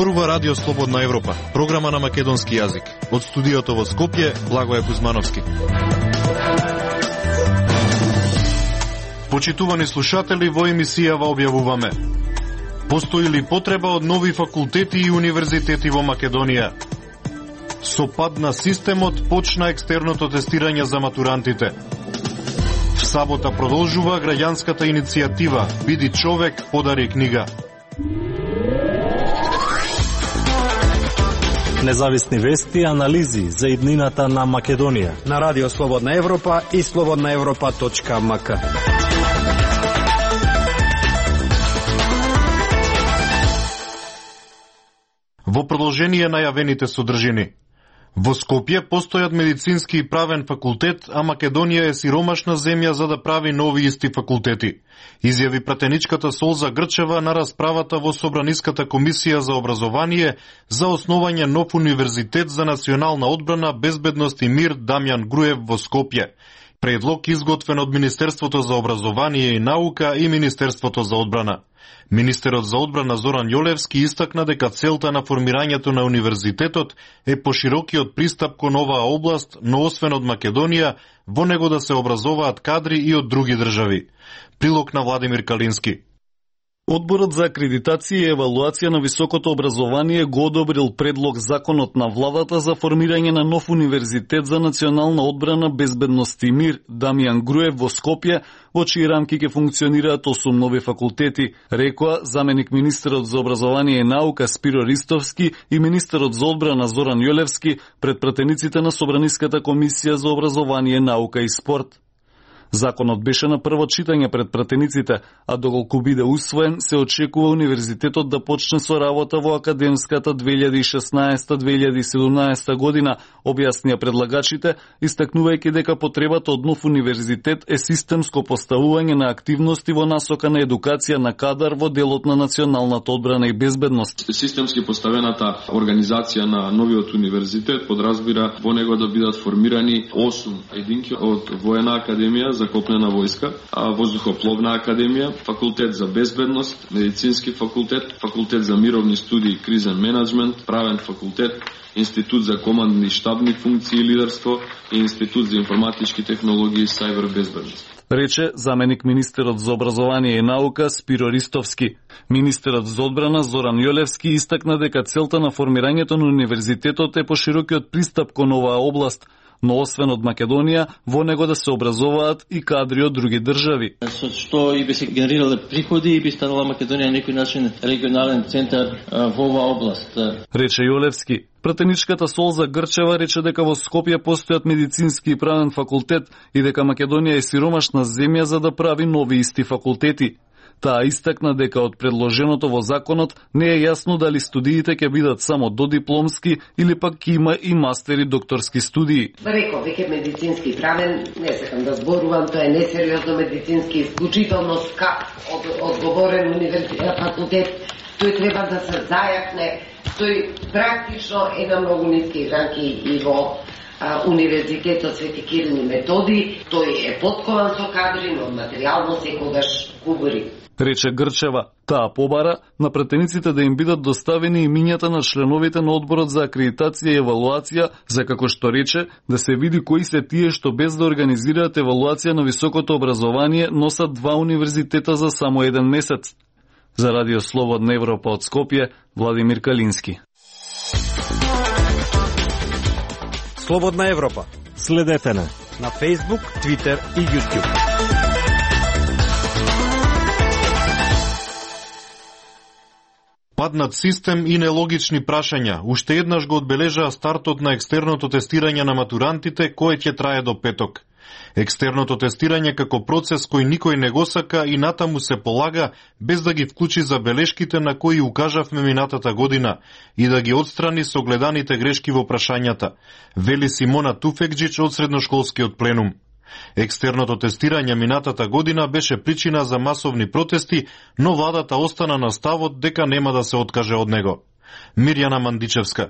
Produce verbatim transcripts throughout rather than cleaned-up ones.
Зборува Радио Слободна Европа, програма на македонски јазик. Од студиото во Скопје, Благоје Кузмановски. Почитувани слушатели, во емисијава објавуваме: постои ли потреба од нови факултети и универзитети во Македонија? Со пад на системот почна екстерното тестирање за матурантите. В сабота продолжува граѓанската иницијатива "Биди човек, подари книга". Независни вести и анализи за иднината на Македонија на Радио Слободна Европа и слободна европа точка ем ка. Во продолжение најавените содржини. Во Скопје постојат медицински и правен факултет, а Македонија е сиромашна земја за да прави нови исти факултети. Изјави пратеничката Солза Грчева на расправата во Собраниската комисија за образование за основање нов универзитет за национална одбрана, безбедност и мир Дамјан Груев во Скопје. Предлог изготвен од Министерството за образование и наука и Министерството за одбрана. Министерот за одбрана Зоран Јолевски истакна дека целта на формирањето на универзитетот е поширокиот пристап кон оваа област, но освен од Македонија, во него да се образуваат кадри и од други држави. Прилог на Владимир Калински. Одборот за акредитација и евалуација на високото образование го одобрил предлог законот на владата за формирање на нов универзитет за национална одбрана, безбедност и мир Дамјан Груев во Скопје, во чии рамки ќе функционираат осум нови факултети, рекоа заменик министерот за образование и наука Спиро Ристовски и министерот за одбрана Зоран Јолевски пред пратениците на Собраниската комисија за образование, наука и спорт. Законот беше на прво читање пред пратениците, а доколку биде усвоен, се очекува универзитетот да почне со работа во академската две илјади и шеснаесета две илјади и седумнаесета година, објаснија предлагачите, истакнувајќи дека потребата од нов универзитет е системско поставување на активности во насока на едукација на кадар во делот на националната одбрана и безбедност. Системски поставената организација на новиот универзитет подразбира во него да бидат формирани осум единки од воена академија за копнена војска, воздухопловна академија, факултет за безбедност, медицински факултет, факултет за мировни студии и кризен менеджмент, правен факултет, институт за командни и штабни функции и лидерство и институт за информатички технологии и сајбер безбедност, рече заменик министерот за образование и наука Спиро Ристовски. Министерот за одбрана Зоран Јолевски истакна дека целта на формирањето на универзитетот е поширокиот пристап кон оваа област, но освен од Македонија, во него да се образуваат и кадри од други држави. Со што и би се генерирале приходи и би станала Македонија на некој начин регионален центар во оваа област. Рече Јолевски. Пратеничката Солза Грчева рече дека во Скопје постојат медицински и правен факултет и дека Македонија е сиромашна земја за да прави нови исти факултети. Таа истакна дека од предложеното во законот не е јасно дали студиите ќе бидат само додипломски или пак ќе има и мастери докторски студии. Реков, веќе медицински правен, не сакам да зборувам, тоа е несериозно медицински, исклучително скап од одговорен универзитет факултет, тој треба да се зајакне, тој практично е на многу ниски ранки и во а, универзитетот Свети Кирил и Методи, тој е поткован со кадри, но материјално секогаш кубори. Рече Грчева. Таа побара на пратениците да им бидат доставени имињата на членовите на одборот за акредитација и евалуација, за како што рече, да се види кои се тие што без да организираат евалуација на високото образование носат два универзитета за само еден месец. За Радио Слободна Европа од Скопје, Владимир Калински. Слободна Европа. Следете на на Facebook, Twitter и YouTube. Паднат систем и нелогични прашања уште еднаш го одбележаа стартот на екстерното тестирање на матурантите, кое ќе трае до петок. Екстерното тестирање како процес кој никој не го сака и натаму се полага без да ги вклучи забелешките на кои укажавме минатата година и да ги отстрани согледаните грешки во прашањата, вели Симона Туфекџич од средношколскиот пленум. Екстерното тестирање минатата година беше причина за масовни протести, но владата остана на ставот дека нема да се откаже од него. Мирјана Мандичевска.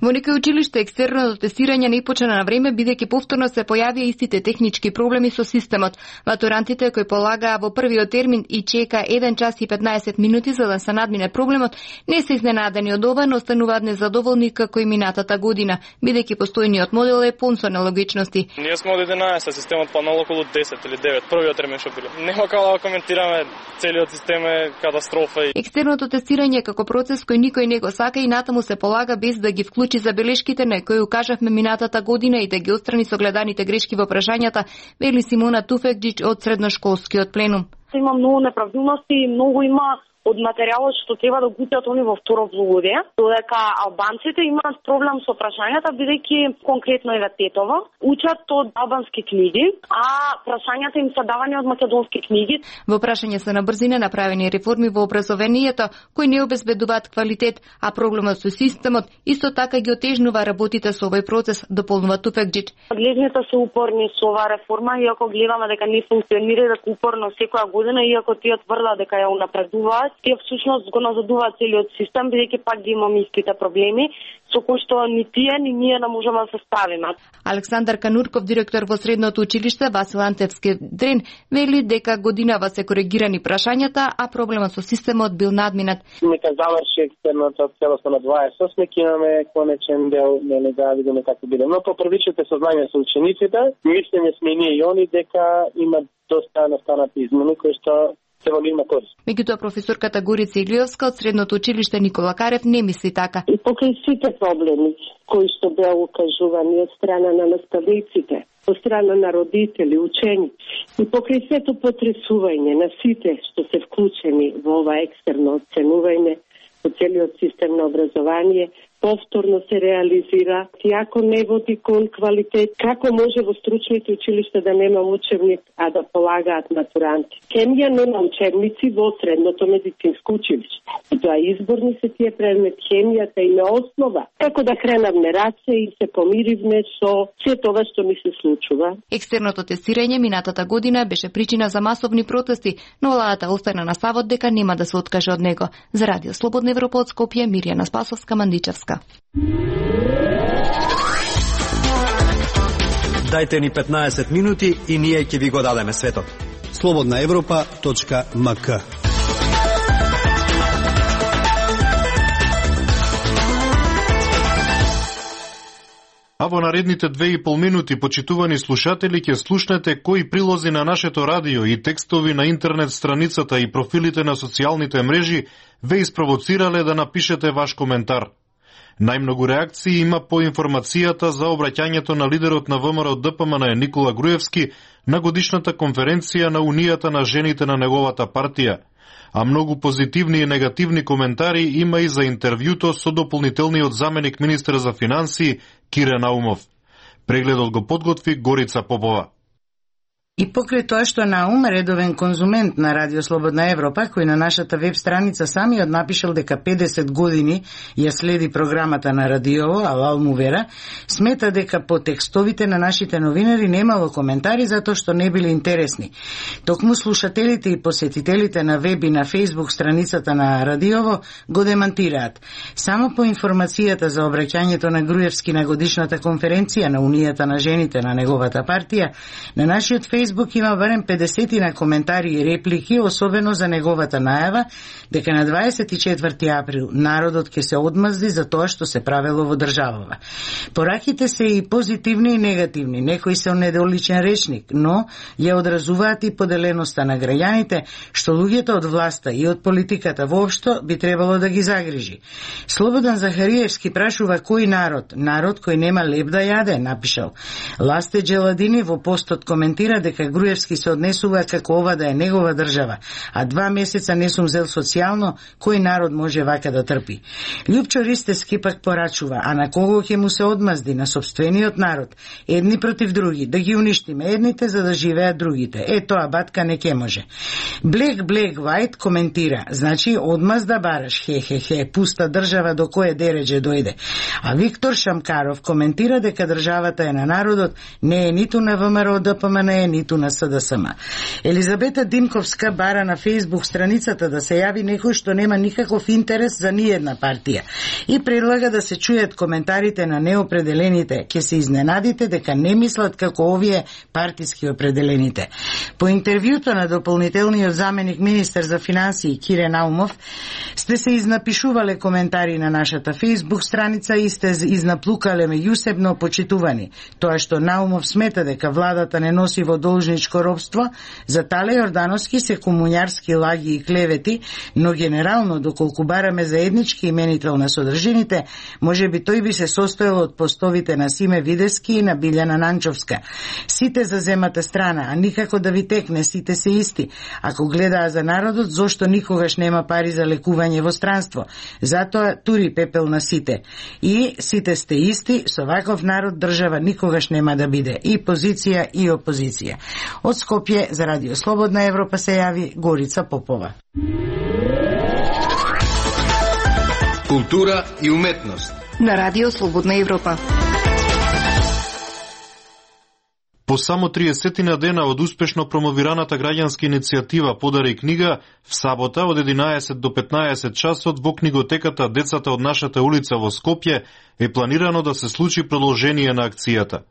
Во некои училишта екстерното тестирање не почна на време, бидејќи повторно се појавија истите технички проблеми со системот. Матурантите кои полагаа во првиот термин и чека еден час и петнаесет минути за да се надмине проблемот, не се изненадени од ова, но остануваат незадоволни како и минатата година, бидејќи постојниот модел е пун со нелогичности. Ние сме од единаесет, системот паднал околу десет или девет, првиот термин што биле. Нема како да коментираме, целиот систем е катастрофа. Екстерното тестирање како процес кој никој не го сака и натаму се полага без да ги вклучи забелешките на кои укажавме минатата година и да ги отстрани согледаните грешки во прашањата, вели Симона Туфекџич од средношколскиот пленум. Има многу неправдилности и многу има од материјалот што треба да гутиат они во второ полугодие, додека албанците имаат проблем со прашањата, бидејќи конкретно еве Тетово учат од албански книги, а прашањата им се давани од македонски книги. Во прашање се на брзина направени реформи во образованието кои не обезбедуваат квалитет, а проблемот со системот исто така ги отежнува работите со овој процес, дополнува Туфекџич. Надлежните се упорни со оваа реформа, иако гледаме дека не функционира, дека упорно секоја година, иако тие тврдат дека ја унапредуваат, тие всушност го назадуваат целиот систем, бидејќи пак ги имаме истите проблеми, со кои што ни тие, ни ние не можеме да се справиме. Александар Канурков, директор во средното училиште Васил Антевски Дрен, вели дека годинава се коригирани прашањата, а проблемот со системот бил надминат. Нека заврши екстерното целосно на дваесет и осми, имаме конечен дел, не да видиме како биде. Но по првичните сознанија со учениците, мислење сме ние и они дека има доста настанати измени кои што Меѓутоа професорката Горица Илиовска од средното училиште Никола Карев не мисли така. И покрај сите проблеми кои што беа укажувани од страна на наставниците, од страна на родители, ученици, и покрај сето потресување на сите што се вклучени во ова екстерно оценување во целиот систем на образование, повторно се реализира, иако не води кон квалитет, како може во стручните училишта да нема учебник, а да полагаат матуранти. Хемија нема учебници во средното медицинско училиште. И тоа изборни се тие предмет, хемијата има основа. Како да кренавме раце и се помиривме со се тоа што ми се случува. Екстерното тестирање минатата година беше причина за масовни протести, но владата остана на ставот дека нема да се откаже од него. За Радио Слободна Европа од Скопје, Мирјана Спасовска, Мандичевска. Дајте ни петнаесет минути и ние ќе ви го дадеме светот. слободна европа точка ем ка. А во наредните две и пол минути, почитувани слушатели, ќе слушнете кои прилози на нашето радио и текстови на интернет страницата и профилите на социјалните мрежи ве испровоцирале да напишете ваш коментар. Најмногу реакции има по информацијата за обраќањето на лидерот на ВМРО Д П М Н Никола Груевски на годишната конференција на Унијата на жените на неговата партија, а многу позитивни и негативни коментари има и за интервјуто со дополнителниот заменик министер за финансии Кире Наумов. Прегледот го подготви Горица Попова. И покрај тоа што Наум, редовен конзумент на Радио Слободна Европа, кој на нашата веб страница самиот напишал дека педесет години ја следи програмата на радиово, алал му вера, смета дека по текстовите на нашите новинари немало коментари затоа што не били интересни. Токму слушателите и посетителите на веб и на Фейсбук страницата на радиово го демантираат. Само по информацијата за обраќањето на Груевски на годишната конференција на Унијата на жените на неговата партија, на нашиот Фейсбук има барем педесетина коментари и реплики, особено за неговата најава дека на дваесет и четврти април народот ќе се одмазди за тоа што се правело во државава. Пораките се и позитивни и негативни, некои се недоличен речник, но ја одразуваат и поделеноста на граѓаните, што луѓето од власта и од политиката воопшто би требало да ги загрижи. Слободан Захариевски прашува кој народ, народ кој нема леб да јаде, напишал. Ласте Джеладини во постот коментира дека Груевски се однесува како ова да е негова држава, а два месеца не сум зел социјално, кој народ може вака да трпи. Љупчо Ристевски пак порачува, а на кого ќе му се одмазди, на собствениот народ, едни против други, да ги уништиме едните за да живеат другите. Е, тоа батка не ке може. Black Black White коментира, значи одмаз да бараш, хе хе хе, пуста држава до кое дереđe дојде. А Виктор Шамкаров коментира дека државата е на народот, не е ниту на ВМРО Д П М Н, ниту ниту на С Д С М. Елизабета Димковска бара на Facebook страницата да се јави некој што нема никаков интерес за ниедна партија и предлага да се чујат коментарите на неопределените. Ке се изненадите дека не мислат како овие партиски определените. По интервјуто на дополнителниот заменик министер за финансии Кире Наумов сте се изнапишувале коментари на нашата Facebook страница и сте изнаплукале меѓусебно почитувани. Тоа што Наумов смета дека владата не носи во должничко робство, за Тале Јордановски се комуњарски лаги и клевети, но генерално, доколку бараме заеднички именител на содржините, може би тој би се состоел од постовите на Симе Видески и на Билјана Нанчовска. Сите за земата страна, а никако да ви текне, сите се исти. Ако гледаа за народот, зошто никогаш нема пари за лекување во странство? Затоа тури пепел на сите. И сите сте исти, со ваков народ држава никогаш нема да биде. И позиција и опозиција. Од Скопје за Радио Слободна Европа се јави Горица Попова. Култура и уметност на Радио Слободна Европа. По само триесет дена од успешно промовираната граѓанска иницијатива Подари книга, в сабота од единаесет до петнаесет часот во книготеката Децата од нашата улица во Скопје е планирано да се случи продолжение на акцијата.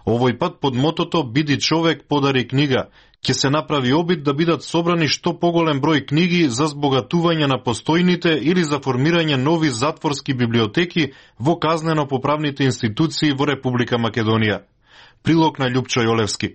Овој пат под мотото Биди човек, подари книга, ќе се направи обид да бидат собрани што поголем број книги за збогатување на постојните или за формирање нови затворски библиотеки во казнено-поправните институции во Република Македонија. Прилог на Љупчо Јолевски.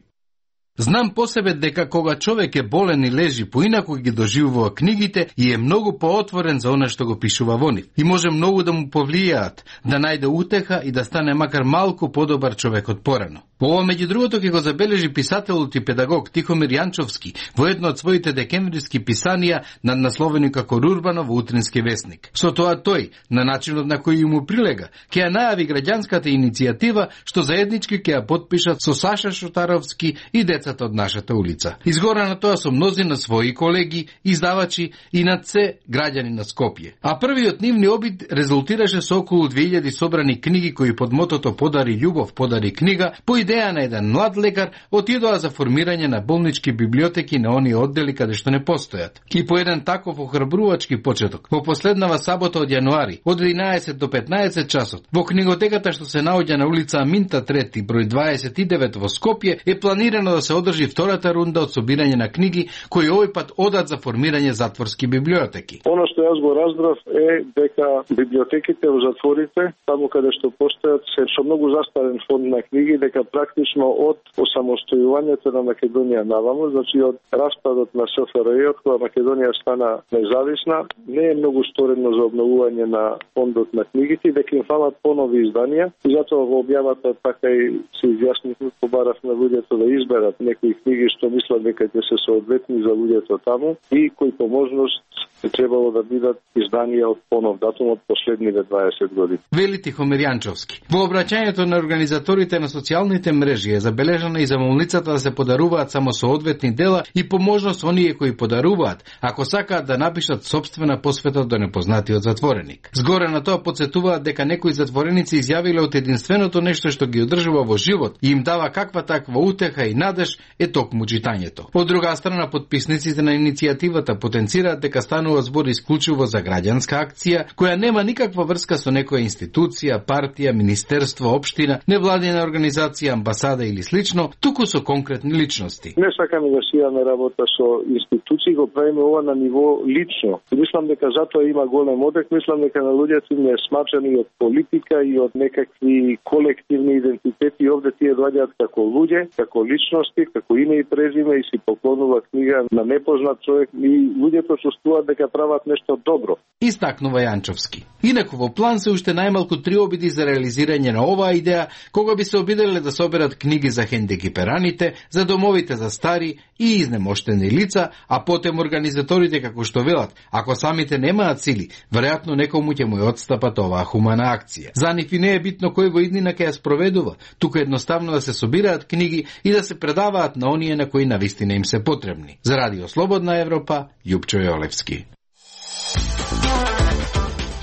Знам по себе дека кога човек е болен и лежи поинаку ги доживува книгите и е многу поотворен за она што го пишува во нив. И може многу да му повлијаат, да најде утеха и да стане макар малку подобар човек од порано. Ова меѓу другото ќе го забележи писателот и педагог Тихомир Јанчовски во едно од своите декемвриски писанија наднасловени како Рурбано во Утрински весник. Со тоа тој, на начинот на кој му прилега, ќе ја најави граѓанската иницијатива што заеднички ќе ја потпишат со Саша Шотаровски и Децата од нашата улица. Изгора на тоа со мнози на своји колеги, издавачи и над се граѓани на Скопје. А првиот нивни обид резултираше со околу две илјади собрани книги кои под мотото Подари љубов, подари книга, по идеја на еден млад лекар, отидоа за формирање на болнички библиотеки на оние оддели каде што не постојат. И по еден таков охрабрувачки почеток, во последнава сабота од јануари, од единаесет до петнаесет часот, во книготеката што се наоѓа на улица Аминта трети, број дваесет и девет во Скопје, е планирано да се одржи втората рунда од собирање на книги кои овој пат одат за формирање затворски библиотеки. Оно што јас го разбрав е дека библиотеките во затворите, таму каде што постојат, се со многу застарен фонд на книги, дека практично од осамостојувањето на Македонија наваму, значи од распадот на С Ф Р Ј, кога Македонија стана независна, не е многу сторено за обновување на фондот на книгите, дека им фалат понови изданија, и затоа во објавата така и се изјаснивме, побарав на луѓето да изберат некои книги што мислат дека ќе се соодветни за луѓето таму и кои по можност требало да бидат изданија од понов датум од последните дваесет години. Вели Тихомир Јанчовски. Во обраќањето на организаторите на социјалните мрежи е забележана и замолницата да се подаруваат само соодветни дела и по можност оние кои подаруваат, ако сакаат да напишат собствена посвета до непознатиот затвореник. Згоре на тоа потсетуваат дека некои затвореници изјавиле од единственото нешто што ги одржува во живот и им дава каква таква утеха и надеж е токму читањето. Од друга страна, подписниците на иницијативата потенцираат дека станува збор исклучиво за граѓанска акција која нема никаква врска со некоја институција, партија, министерство, општина, невладина организација, амбасада или слично, туку со конкретни личности. Не сакаме да си имаме работа со институции, го правиме ова на ниво лично. И мислам дека затоа има голем одек, мислам дека на луѓето им е смачани од политика и од некакви колективни идентитети, овде тие доаѓаат како луѓе, како личности, како име и презиме и си поклонува книга на непознат човек и луѓето чувствуваат дека прават нешто добро. Истакнува Јанчовски. Инаку во план се уште најмалку три обиди за реализирање на оваа идеја, кога би се обиделе да соберат книги за хендикипераните, за домовите за стари и изнемоштени лица, а потем организаторите како што велат, ако самите немаат сили, веројатно некому ќе му ја отстапат оваа хумана акција. За нив и не е битно кој во иднина ќе ја спроведува, туку едноставно да се собираат книги и да се предаваат на оние на кои навистина им се потребни. За Радио Слободна Европа, Љупчо Јолевски.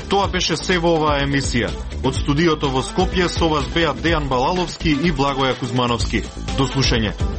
Тоа беше се во оваа емисија. Од студиото во Скопје со вас беа Дејан Балаловски и Благоја Кузмановски. До слушање.